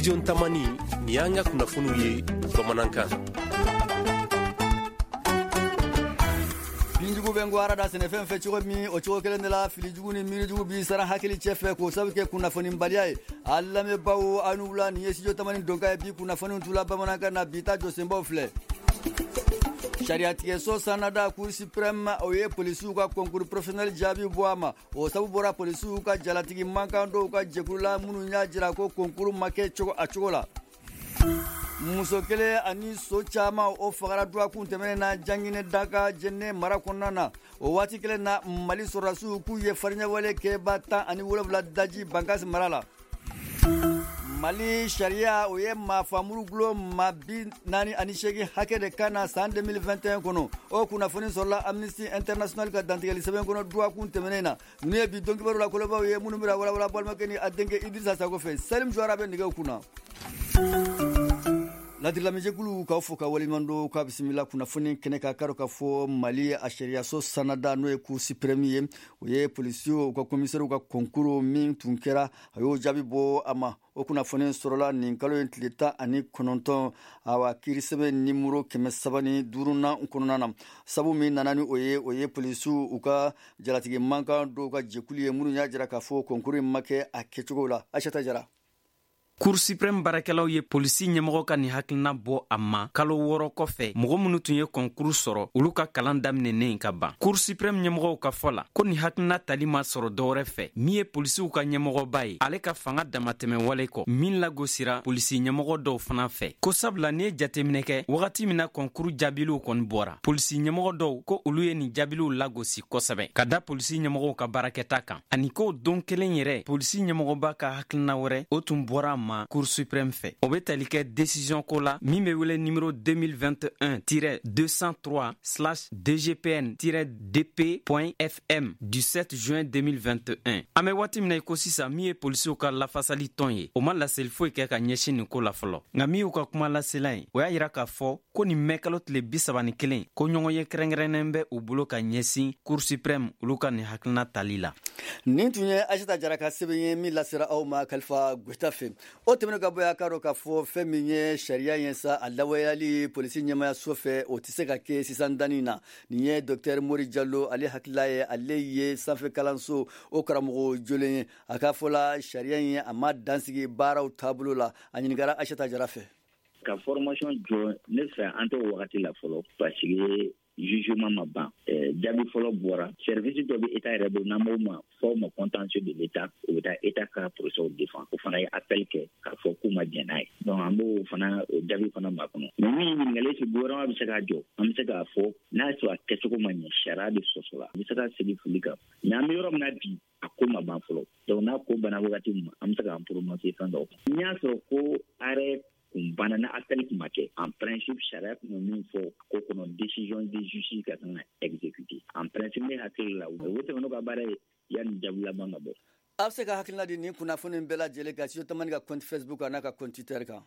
Studio Tamani, nin y'an ka kunnafoniw ye bamanankan. Binjugu bɛ ngwara da sɛnɛfɛn fɛ cogo min, o cogo kelen de la filijugu ni miirijugu b'i sara hakili cɛ fɛ k'o sabu kɛ kunnafonibaliya ye. A lamɛnbaaw, aw ni wula, nin ye Studio Tamani donkan ye. Bi kunnafoniw tula bamanankan na, bi ta jɔsenbaw filɛ. Sariyatigɛso sannada Cour suprême, o ye polisiw ka concours professionnel jaabi bɔ a ma. O sabu bɔra polisiw ka jalatigi mankan dɔw ka jɛkulu la minnu y'a jira ko concours ma kɛ cogo a cogo la. Muso kelen ani so caman, o fagara dɔgɔkun tɛmɛnen na Janginɛ Daka, Jɛnɛ mara kɔnɔna na. O waati kelen na, Mali sɔrɔdasiw k'u ye fariɲɛwale kɛba 17 daji Bankasi mara la. Mali sariya, o ye maafamuru gulon maa 48 hakɛ de kan na san 2021 kɔnɔ. O kunnafoni sɔrɔla Amnesty International ka dantigɛli sɛbɛn kɔnɔ dɔgɔkun tɛmɛnen na. Ninnu ye bi don kibaru la kolobaw ye minnu bɛna walawala balimakɛ ni a denkɛ Idrissa Sako fɛ. Salim Jawara bɛ nɛgɛw kunna. Ladirilamɛjɛkulu, k'aw fo ka waleɲuman don, k'a bisimila kunnafoni kɛnɛ kan. Karo ka fɔ Mali a sariyaso sannada, n'o ye Cour suprême ye, o ye polisiw ka komisɛriw ka concours min tun kɛra, a y'o jaabi bɔ a ma. O kunnafoni sɔrɔla nin kalo in tile 19, awa, kiirisɛbɛn nimoro 305nan kɔnɔna na. Sabu min nana ni o ye, o ye polisiw u ka jalatigi mankan dɔw ka jɛkulu ye minnu y'a jira k'a fɔ concours in ma kɛ a kɛcogo la. Aïssata Jara. Cour suprême baarakɛlaw ye polisi ɲɛmɔgɔ ka nin hakilina bɔ a ma kalo 6 kɔfɛ, mɔgɔ minnu tun ye concours sɔrɔ, olu ka kalan daminɛnen ka ban. Cour suprême ɲɛmɔgɔw ka fɔ la ko nin hakilina tali ma sɔrɔ dɔwɛrɛ fɛ min ye polisiw ka ɲɛmɔgɔba ye, ale ka fanga damatɛmɛ wale kɔ min lagosira polisi ɲɛmɔgɔ dɔw fana fɛ, ko sabula n'i ye jateminɛ kɛ, wagati min na concours jaabiliw kɔni bɔra, polisi ɲɛmɔgɔ dɔw ko olu ye nin jaabiliw lagosi kosɛbɛ ka da polisi ɲɛmɔgɔw ka baarakɛta kan, ani ko don kelen yɛrɛ polisi ɲɛmɔgɔba ka hakilina wɛrɛ, o tun bɔra a ma Cour suprême fɛ. O be tali kɛ décision ko la min be wele numéro 2021-203/DGPN-DP.FM du 7 juin 2021. An be waati min na i ko sisan, min ye polisiw ka lafasali tɔn ye, o ma laseli foyi kɛ ka ɲɛsin nin ko la fɔlɔ. Nka min y'u ka kuma lasela ye, o y'a yira k'a fɔ ko nin mɛ kalo tile 31, ko ɲɔgɔn ye kɛrɛnkɛrɛnnen bɛ u bolo ka ɲɛsin Cour suprême olu ka nin hakilina tali la. Nin tun ye Aïssata Jara ka sɛbɛn ye min lasera aw ma Kalifa Goyita fɛ. O tɛmɛnen ka bɔ yen, a k'a dɔn k'a fɔ fɛn min ye sariya ye sa, a lawaleyali polisi ɲɛmayaso fɛ, o tɛ se ka kɛ sisan danni na. Nin ye Docteur Mori Jalo ale hakilila ye. Ale ye sanfɛ kalanso o karamɔgɔ jolen ye. A ka fɔ la, sariya in a ma dansigi baaraw taabolo la. A ɲininkara Aïssata Jara fɛ. Ka formation jɔ, ne fɛ an t'o wagati la fɔlɔ, parce que jugement ma ban, jaabi fɔlɔ bɔra. Service dɔ bɛ État yɛrɛ bolo n'an b'o ma fɔ o ma contentieux de l'État, o bɛ taa État ka procès défend. O fana ye appel kɛ k'a fɔ k'u ma jɛn n'a ye. Donc an b'o fana o jaabi fana makɔnɔ. Mais min ye ɲininkali, est-ce que gouvernement bɛ se k'a jɔ? An bɛ se k'a fɔ n'a y'a sɔrɔ a kɛcogo ma ɲɛ, sariya de sɔsɔla, an bɛ se ka segin fili kan. Mais an bɛ yɔrɔ min na bi, a ko ma ban fɔlɔ. Donc n'a ko banna wagati min, an bɛ se k'an prononcer fɛn dɔw kan. N'i y'a sɔrɔ ko arrêt kun banna, na appel kun ma kɛ, en principe sariya kun bɛ min fɔ ko kɔnɔ, décision de justice ka kan ka exécuter en principe, ne hakili la o tɛmɛn n'o ka baara ye yanni jaabi laban ka bɔ. A bɛ se ka hakilina di nin kunnafoni bɛɛ lajɛlen kan Studio Tamani ka compte Facebook kan n'a ka compte Twitter kan.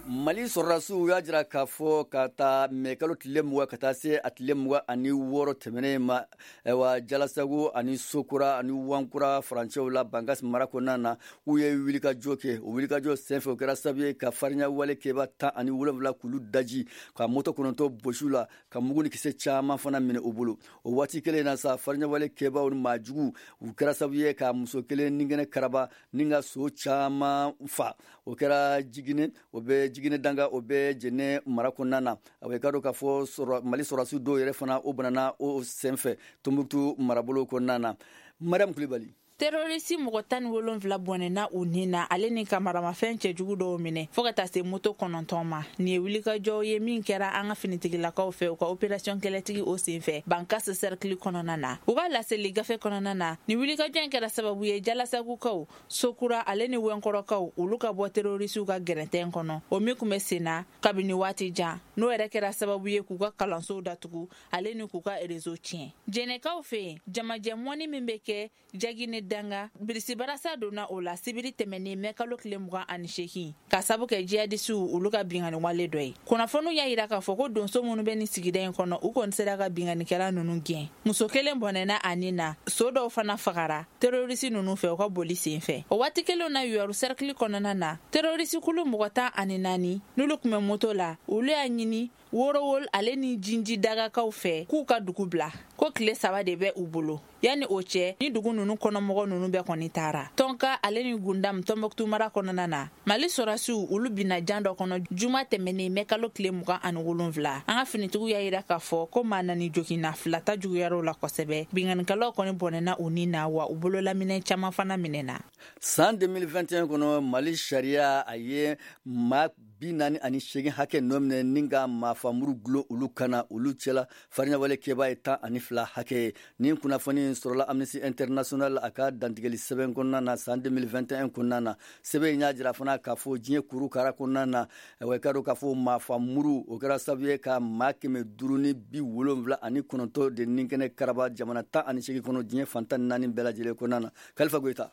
Mali sɔrɔdasiw y'a jira k'a fɔ ka taa mɛ kalo tile 20 ka taa se a tile 26 tɛmɛnen ma, ayiwa, Jalasago ani Sokura ani Wankura farancɛw la Bankas mara kɔnɔna na, k'u ye wulikajɔ kɛ. O wulikajɔ senfɛ, o kɛra sababu ye ka farinya wale kɛba 17 k'olu daji, ka moto 9 bɔsiw la, ka mugu ni kisɛ caman fana minɛ u bolo. O waati kelen na sa, farinya wale kɛbaw ni maajugu u kɛra sababu ye ka muso kelen nigɛnɛ karaba ni ka so caman fa. O kɛra Jiginɛ, o bɛ Jiginɛ Danga, o bɛ Jɛnɛ mara kɔnɔna na. A bɛ ka dɔn k'a fɔ Mali sɔrɔdasiw dɔw yɛrɛ fana, o banana o senfɛ Tombouctou marabolo kɔnɔna na. Mariam Kulibali. Terroriste mɔgɔ 17 bɔnɛna u ni na, ale ni ka maramafɛn cɛjugu dɔw minɛ, fɔɔ ka taa se moto 9 ma. Nin ye wulikajɔw ye min kɛra an ka finitigilakaw fɛ u ka opération kɛlɛtigi o senfɛ Bankas cercle kɔnɔna na. U ka laseli gafe kɔnɔna na, nin wulikajɔ in kɛra sababu ye Jalasagukaw, Sokura ale ni Wɛnkɔrɔkaw, olu ka bɔ terroristew ka gɛrɛntɛn kɔnɔ, o min kun bɛ sen na kabini waati jan, n'o yɛrɛ kɛra sababu ye k'u ka kalansow datugu ale ni k'u ka réseau tiɲɛ. Jɛnɛkaw fɛ yen, jamajɛ mɔni min bɛ kɛ Jagine. Danga, birisibarasa donna o la sibiri tɛmɛnen mɛ kalo tile 28, ka sabu kɛ jihadisiw olu ka binkanni wale dɔ ye. Kunnafoniw y'a yira k'a fɔ ko donso minnu bɛ nin sigida in kɔnɔ, u kɔni sera ka binkannikɛla ninnu gɛn. Muso kelen bɔnɛna a ni na, so dɔw fana fagara terorisi ninnu fɛ u ka boli sen fɛ. O waati kelen na, Youwarou cercle kɔnɔna na, terorisi kulu mɔgɔ 14 n'olu tun bɛ moto la, olu y'a ɲini Worowol ale ni Jinji dagakaw fɛ k'u ka dugu bila, ko tile 3 de bɛ u bolo. Yanni o cɛ, ni dugu ninnu kɔnɔmɔgɔ ninnu bɛɛ kɔni taara. Tɔnka ale ni Gundam Tɔnbɔkutu mara kɔnɔna na, Mali sɔrɔdasiw olu binna jan dɔ kɔnɔ juma tɛmɛnen mɛ kalo tile 27. An ka finitigiw y'a yira k'a fɔ ko maa 4 joginna, 2 ta juguyara la kosɛbɛ. Binkannikɛlaw kɔni bɔnɛna u ni na, wa u bololaminɛ caman fana minɛna. San 2021 kɔnɔ, Mali sariya a ye maa 48 hakɛ nɔ minɛ ni ka maafamuru gulon olu kana. Olu cɛla farinyawale kɛbaa ye 12 hakɛ ye. Nin kunnafoni sɔrɔla Amnesty International a ka dantigɛli sɛbɛn kɔnɔna na san 2021 kɔnɔna na. Sɛbɛn in y'a jira fana k'a fɔ diɲɛ kurukara kɔnɔna na, wa i ka dɔn k'a fɔ maafamuru o kɛra sababu ye ka maa 579 de ninkɛnɛ karaba jamana 18 kɔnɔ diɲɛ fan 14 bɛɛ lajɛlen kɔnɔna na. Kalifa Goyita.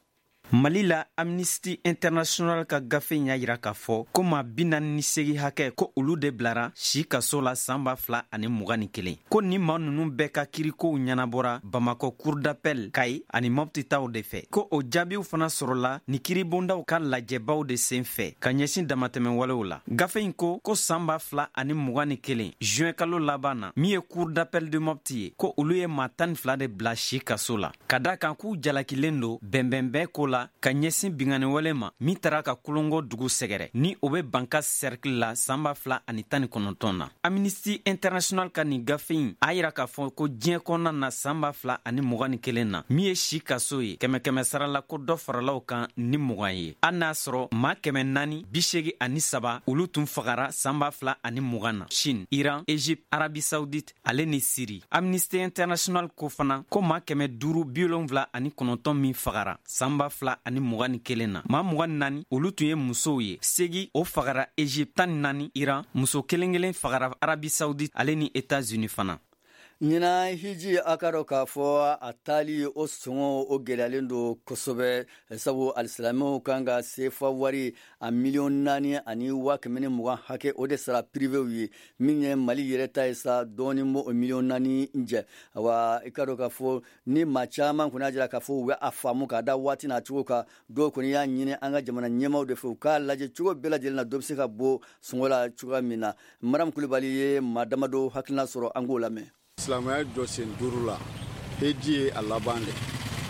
Mali la, Amnesty International ka gafe y'a yira k'a fɔ ko maa 48 hakɛ, ko olu de bilara si kaso la san 2021, ko ni maa nunu bɛɛ ka kirikow ɲɛnabɔra Bamakɔ cour d'appel, Kayi ani Mɔpti taw de fɛ, ko o jaabiw fana sɔrɔla ni kiribondaw ka lajɛbaw de sen fɛ ka ɲɛsin damatɛmɛwalew la. Gafe in ko san 2021 juin kalo laban na, min ye cour d'appel de Mɔpti ye, ko olu ye maa 12 de bila si kaso la, ka da kan k'u jalakilen don bɛnbɛnbɛn ko la ka ɲɛsin binkanniwale ma min taara ka Kolongo dugu sɛgɛrɛ, ni o bɛ Banka cercle la, san 2019 na. Amnesty International ka nin gafe in a yira k'a fɔ ko diɲɛ kɔnɔna na, san 2021 na, min ye si kaso ye, kɛmɛ kɛmɛ sara la, ko dɔ faralaw kan ni 20 ye, hali n'a sɔrɔ maa 483 olu tun fagara san 2020 na Chine, Iran, Egypte, Arabie Saoudite ale ni Syrie. Amnesty International ko fana ko maa 579 min fagara san 2021 na, maa 24 olu tun ye musow ye, 8 o fagara Egypte, 14 Iran, muso kelen kelen fagara Arabie Saoudite ale ni États-Unis fana. Ɲinan hiji, a ka dɔn k'a fɔ a taali o sɔngɔ o gɛlɛyalen don kosɛbɛ, sabu alisilamɛw kan ka sefa wari a 4,120 000 hakɛ o de sara pirivew ye. Min ye Mali yɛrɛ ta ye sa, dɔɔni b'o o 4 miliyɔn jɛ. Awa, i ka dɔn k'a fɔ ni maa caman kɔni y'a jira k'a fɔ u bɛ a faamu k'a da waati n'a cogo kan. Dɔw kɔni y'a ɲini an ka jamana ɲɛmaaw de fɛ, u k'a lajɛ cogo bɛɛ lajɛlen na, dɔ bɛ se ka bɔ sɔngɔ la cogoya min na. Mariam Kulibali ye maa damadɔ hakilina sɔrɔ, an k'o lamɛn. Silamɛya jɔ sen duuru la, heji ye a laban de.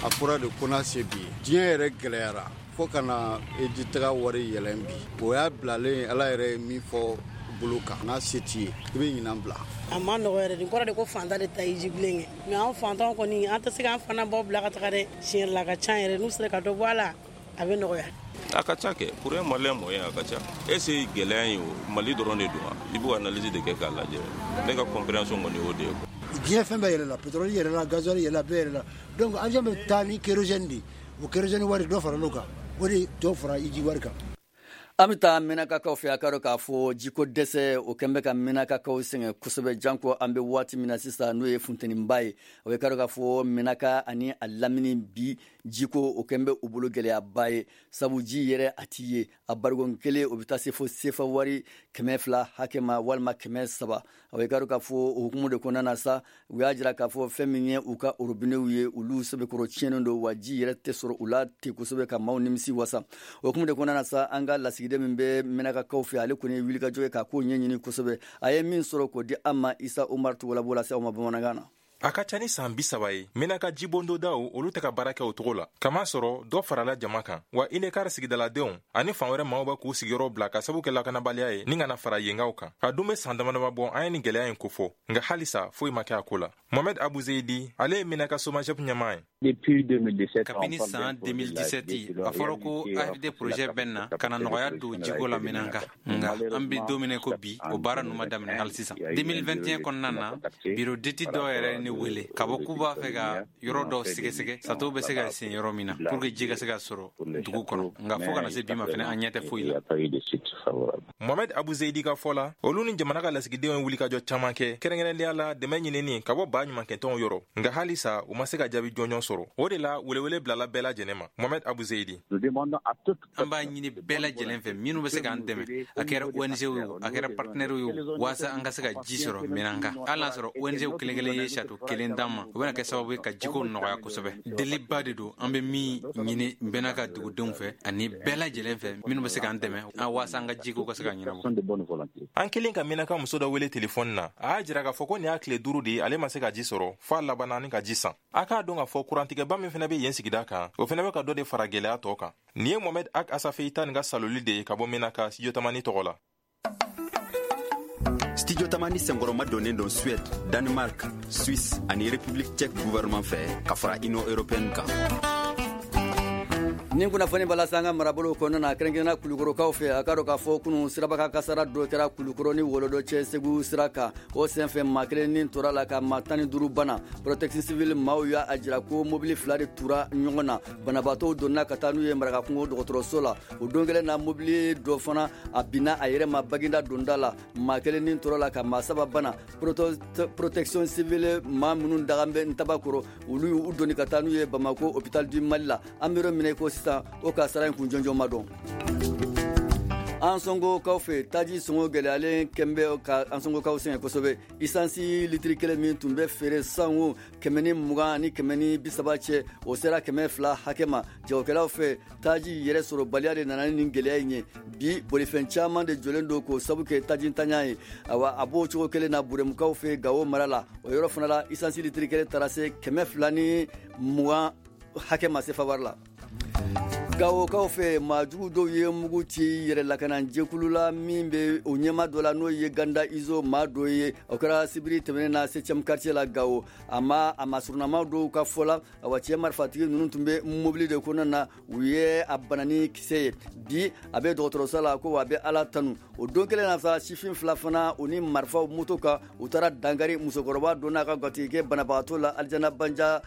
A fɔra de ko n'a se bi ye, diɲɛ yɛrɛ gɛlɛyara fo ka na heji taga wari yɛlɛn bi. O y'a bilalen, Ala yɛrɛ ye min fɔ bolo kan, n'a se t'i ye, i bɛ ɲinan bila. A ma nɔgɔ yɛrɛ. Nin kɔrɔ de ko fantan de ta hiji bilen kɛ, mais an fantanw kɔni, an tɛ se k'an fana baw bila ka taga dɛ. Tiɲɛ la, a ka ca yɛrɛ. N'u sera ka dɔ bɔ a la, a bɛ nɔgɔya. A ka ca kɛ, pour un Malien moyen, a ka ca. Est ce que gɛlɛya in o Mali dɔrɔn de don wa? I b'o analyse de kɛ k'a lajɛ. Ne ka compréhension kɔni y'o de ye. Diɲɛ fɛn bɛɛ yɛlɛla, pétrole yɛlɛla, gasoil yɛlɛla, bɛɛ yɛlɛla. Donc avion bɛ taa ni kérosène de, o kérosène wari, dɔ faral'o kan, o de dɔ fara hiji wari kan. An bɛ taa Mɛnakakaw fɛ. A ka dɔn k'a fɔ jiko dɛsɛ o kɛn bɛ ka Mɛnakakaw sɛgɛn kosɛbɛ, janko an bɛ waati min na sisan, n'o ye funteniba ye. O ye ka dɔn k'a fɔ Mɛnaka ani a lamini bi, jiko o kɛn bɛ u bolo gɛlɛyaba ye, sabu ji yɛrɛ a ti ye. A barikon kelen o bɛ taa se fo sefa wari 200 hakɛ ma walima 300. O ye ka dɔn k'a fɔ o hukumu de kɔnɔna na sa, u y'a jira k'a fɔ fɛn min ye u ka robinew ye, olu sɛbɛkɔrɔ tiɲɛnen don, wa ji yɛrɛ tɛ sɔrɔ u la ten kosɛbɛ ka maaw nimisi wasa. O hukumu de kɔnɔna na sa, an ka lasigiden min bɛ Mɛnakakaw fɛ, ale kɔni ye wulikajɔ ye k'a ko ɲɛɲini kosɛbɛ. A ye min sɔrɔ k'o di an ma, Isa Umar Togola b'o lase aw ma bamanankan na. A ka ca ni saan 30 ye, Menaka jibondodaw olu tɛ ka baara kɛ o cogo la, kama sɔrɔ dɔ farala jama kan, wa Inekar sigidaladenw ani fan wɛrɛ maaw bɛ k'u sigiyɔrɔ bila ka sabu kɛ lakanabaliya ye ni kana fara yengaw kan. A dun be saan damadama bɔ an ye nin gwɛlɛya yin kofɔ, nga halisa foyi ma kɛ a ko la. Mohamed Abuzeidi, ale ye Menaka Somagep ɲɛmaa ye. Kabini saan 2017, a fɔra ko AFD projet bɛ na ka na nɔgɔya don jiko la Menaka, nga an be don min ko bi, o baara nu ma daminɛ hali sisan. 2021 kɔnɔna na, bureau d'étude dɔw yɛrɛ ne wele ka bɔ k'u b'a fɛ ka yɔrɔ dɔw sɛgɛsɛgɛ, château bɛ se ka sen yɔrɔ min na pour que ji ka se ka sɔrɔ dugu kɔnɔ. Nka fo kana se bi ma fɛnɛ, an ɲɛ tɛ foyi la. Mohamed Abu Zeidi ka fɔ la, olu ni jamana ka lasigidenw ye wulikajɔ caman kɛ, kɛrɛnkɛrɛnnenya la dɛmɛ ɲinini ka bɔ ba ɲumankɛtɔnw yɔrɔ, nka halisa u ma se ka jaabi jɔnjɔn sɔrɔ. O de la, welewele bilala bɛɛ lajɛlen ma. Mohamed Abu Zeidi: An b'a ɲini bɛɛ lajɛlen fɛ, minnu bɛ se k'an dɛmɛ, a kɛra ONG ye o, a kɛra partenaire ye o, waasa an ka se ka ji sɔrɔ Menaka. Hali n'a sɔrɔ ONG kelen kelen ye château kelen d'an ma, o bɛna kɛ sababu ye ka jiko nɔgɔya kosɛbɛ. Deliba de don an bɛ min ɲini Menaka dugudenw fɛ ani bɛɛ lajɛlen fɛ minnu bɛ se k'an dɛmɛ waasa an ka jiko ka se ka ɲɛnabɔ. An kelen ka Menaka muso dɔ wele telefɔni na, a y'a jira k'a fɔ ko nin y'a tile 5 de ye ale ma se ka ji sɔrɔ, f'a labanna ni ka ji san. A k'a dɔn k'a fɔ kurantigɛba min fɛnɛ bɛ yen sigida kan, o fɛnɛ bɛ ka dɔ de fara gɛlɛya tɔ kan. Nin ye Mohamed Ak Asafeita nin ka saloli de ye ka bɔ Menaka, Studio Tamani tɔgɔ la. Studio Tamani senkɔrɔma donnen don Suède, Danemark, Suisse ani République tchèque gouvernement fɛ ka fara Union européenne kan. Nin kunnafoni b'a lase an ka marabolo kɔnɔna na, kɛrɛnkɛrɛnna Kulukɔrɔkaw fɛ. A ka dɔn k'a fɔ kunun sirabaka kasara dɔ kɛra Kulukɔrɔ ni Wɔlɔdɔ cɛ, Segu sira kan. O senfɛ, maa kelen ni tora la ka maa 15 bana. Protection civile maaw y'a jira ko mobili fila de tura ɲɔgɔn na. Banabaatɔw donna ka taa n'u ye Marakakungo dɔgɔtɔrɔso la. O don kelen na, mobili dɔ fana a binna a yɛrɛ ma Baginda donda la. Maa kelen ni tora la ka maa saba bana. Protection civile maa minnu dagan bɛ Ntabakɔrɔ, olu y'u doni ka taa n'u ye Bamako hôpital du Mali la. An bɛ yɔrɔ min na i ko sisan, o kasara in kun jɔnjɔn ma dɔn. Ansongokaw fɛ, taji sɔngɔ gɛlɛyalen kɛn bɛ ka Ansongokaw sɛgɛn kosɛbɛ. Isansi litiri kelen min tun bɛ feere sango 120 ni 130 cɛ, o sera 200 hakɛ ma. Jagokɛlaw fɛ, taji yɛrɛ sɔrɔbaliya de nana ni nin gɛlɛya in ye. Bi, bolifɛn caman de jɔlen don k'o sabu kɛ tajintanya ye. Awa, a b'o cogo kelen na Buremukaw fɛ Gawo mara la. O yɔrɔ fana la, isansi litiri kelen taara se 220 hakɛ ma sefa wari la. Gawokaw fɛ, maajugu dɔw ye mugu ci yɛrɛ lakana jɛkulu la min bɛ o ɲɛma dɔ la, n'o ye Ganda Izo maa dɔ ye. O kɛra sibiri tɛmɛnen na 7e quartier la Gawo. A ma a masurunama dɔw ka fɔ la, awa, cɛ marifatigi ninnu tun bɛ mobili de kɔnɔna na, u ye a bana ni kisɛ ye. Bi, a bɛ dɔgɔtɔrɔso la ko a bɛ Ala tanu. O don kelen na sa, sifin fila fana, u ni marifaw moto kan, u taara dankari musokɔrɔba dɔ n'a ka gatigikɛ banabagatɔ la Alijana Banja,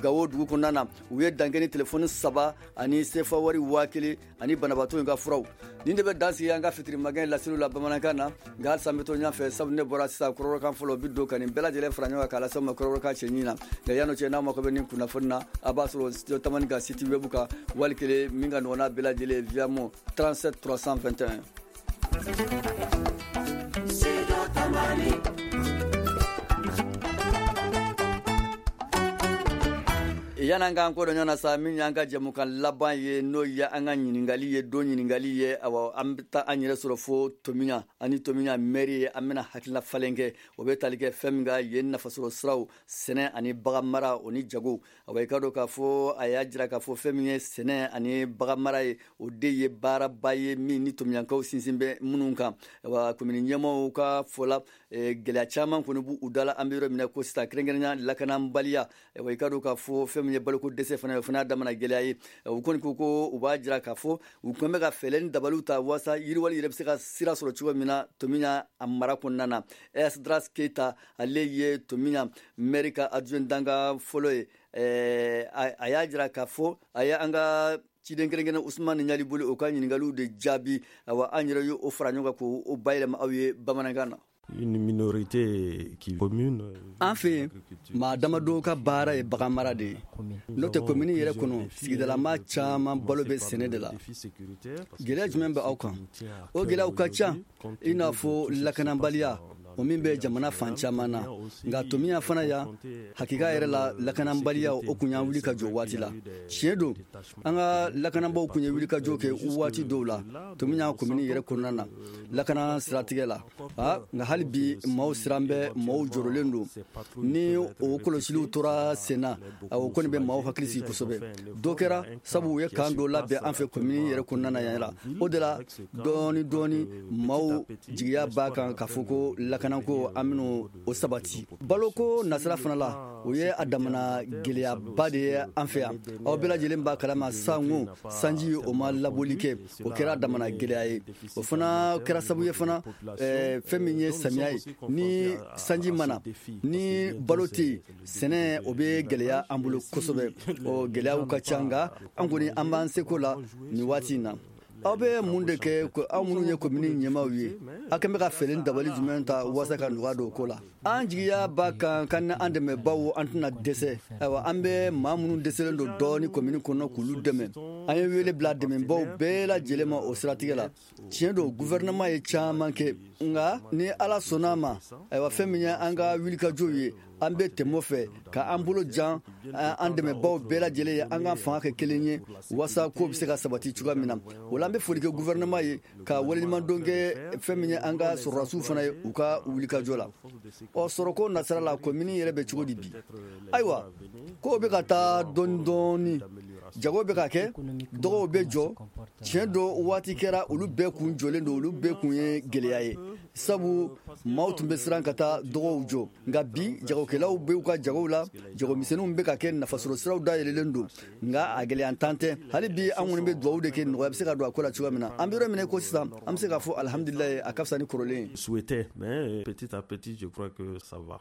Gawo dugu kɔnɔna na. U ye dankɛ ni telefɔni saba ani sefa wari 1000 ani banabaatɔ in ka furaw. Nin de bɛ dan sigi an ka fitiri magɛn laseliw la bamanankan na. Nka halisa an bɛ to ɲɛfɛ, sabu ne bɔra sisan kɔrɔbɔrɔkan fɔlɔ bi don ka nin bɛɛ lajɛlen fara ɲɔgɔn kan k'a lase aw ma kɔrɔbɔrɔkan cɛɲi na. Nka yan'o cɛ, n'aw mako bɛ nin kunnafoni na, a b'a sɔrɔ Studio Tamani ka site web kan, wali kelen min ka nɔgɔn n'a bɛɛ lajɛlen, Viamo 37 321. Studio Tamani. Yan'an k'an ko dɔn ɲɔgɔn na sa, min y'an ka jɛmukan laban ye, n'o ye an ka ɲininkali ye, don ɲininkali ye. Awa, an bɛ taa an yɛrɛ sɔrɔ fo Tomiɲa ani Tomiɲa mairie ye. An bɛna hakilina falen kɛ, o bɛ tali kɛ fɛn min kan yen, nafasɔrɔ siraw, sɛnɛ ani bagan mara, o ni jago. Awa, i ka dɔn k'a fɔ a y'a jira k'a fɔ fɛn min ye sɛnɛ ani bagan mara ye, o de ye baaraba ye min ni Tomiɲankaw sinsin bɛ minnu kan. Awa, komini ɲɛmaaw ka fɔ la, gɛlɛya caman kɔni b'u da la an bɛ yɔrɔ min na ko sisan, kɛrɛnkɛrɛnnenya lakanabaliya. Awa, i ka dɔn k'a fɔ fɛn min ye baloko dɛsɛ fana ye, o fana y'a damana gɛlɛya ye. U kɔni ko ko u b'a jira k'a fɔ u kɔni bɛ ka fɛɛrɛ ni dabaliw ta waasa yiriwali yɛrɛ bɛ se ka sira sɔrɔ cogo min na Tomiɲa a mara kɔnɔna na. Esdras Keita, ale ye Tomiɲa maire ka adjoint dankan fɔlɔ ye. A y'a jira k'a fɔ a ye an ka ciden kɛrɛnkɛrɛn Usumani Ɲaliboli o ka ɲininkaliw de jaabi. Awa, an yɛrɛ y'o fara ɲɔgɔn kan k'o bayɛlɛma aw ye bamanankan na. Une minorité qui commune. An fɛ yen, maa damadɔ ka baara ye bagan mara de ye. N'o tɛ, komini yɛrɛ kɔnɔ, sigidalama caman balo bɛ sɛnɛ de la. Gɛlɛya jumɛn bɛ aw kan? O gɛlɛyaw ka ca, i n'a fɔ lakanabaliya, o min bɛ jamana fan caman na. Nka Tomiɲa fana yan, hakika yɛrɛ la, lakanabaliya o kun y'an wuli ka jɔ waati la. Tiɲɛ don, an ka lakanabaw kun ye wuli ka jɔ kɛ waati dɔw la Tomiɲa komini yɛrɛ kɔnɔna na, lakana siratigɛ la. Nka hali bi, maaw siran bɛ, maaw jɔrɔlen don. Ni o kɔlɔsiliw tora sen na, o kɔni bɛ maaw hakili sigi kosɛbɛ. Dɔ kɛra sabu u ye kan dɔ labɛn an fɛ komini yɛrɛ kɔnɔna na yan la. O de la, dɔɔni dɔɔni, maaw jigiya b'a kan k'a fɔ ko lakanako, an bɛn'o o sabati. Baloko nasira fana la, o ye a damana gɛlɛyaba de ye an fɛ yan. Aw bɛɛ lajɛlen b'a kalama sango sanji o ma labɔli kɛ, o kɛra a damana gɛlɛya ye. O fana kɛra sababu ye fana, fɛn min ye samiya ye, ni sanji ma na, ni balo tɛ yen, sɛnɛ o bɛ gɛlɛya an bolo kosɛbɛ. O gɛlɛyaw ka ca, nka an kɔni an b'an seko la nin waati in na. Aw bɛ mun de kɛ, aw minnu ye komini ɲɛmaaw ye? Aw kɛn bɛ ka fɛɛrɛ dabali jumɛn ta walasa ka nɔgɔya don o ko la? An jigiya b'a kan ka ni an dɛmɛbaw, an tɛna dɛsɛ. Ayiwa, an bɛ maa minnu dɛsɛlen don dɔɔni komini kɔnɔ, k'olu dɛmɛ. An ye wele bila dɛmɛbaw bɛɛ lajɛlen ma o siratigɛ la. Tiɲɛ don, guvɛrɛnɛman ye caman kɛ, nka ni Ala sɔnna a ma, ayiwa, fɛn min ye an ka wulikajɔw ye, an bɛ tɛmɛ fɛ ka an bolo jan an dɛmɛbaw bɛɛ lajɛlen ye, an ka fanga kɛ kelen ye walasa ko bɛ se ka sabati cogoya min na. O la, an bɛ foli kɛ guvɛrɛnɛman ye, ka waleɲumandɔn kɛ fɛn min ye an ka sɔrɔdasiw fana ye u ka wulikajɔ la. Ɔ, sɔrɔko nasira la, komini yɛrɛ bɛ cogo di bi? Ayiwa, kow bɛ ka taa dɔɔni dɔɔni. Jago bɛ ka kɛ, dɔgɔw bɛ jɔ. Tiɲɛ don, waati kɛra olu bɛɛ kun jɔlen don, olu bɛɛ kun ye gɛlɛya ye, sabu maaw tun bɛ siran ka taa dɔgɔw jɔ. Nka bi, jagokɛlaw bɛ u ka jagow la, jagomisɛnninw bɛ ka kɛ, nafasɔrɔ siraw dayɛlɛlen don, nka a gɛlɛyantan tɛ hali bi. An kɔni bɛ dugawu de kɛ, nɔgɔya bɛ se ka don a ko la cogoya min na. An bɛ yɔrɔ min ko sisan, an bɛ se k'a fɔ alihamudulilayi, a ka fisa ni kɔrɔlen ye. Souhaitait, mais petit à petit, je crois que ça va.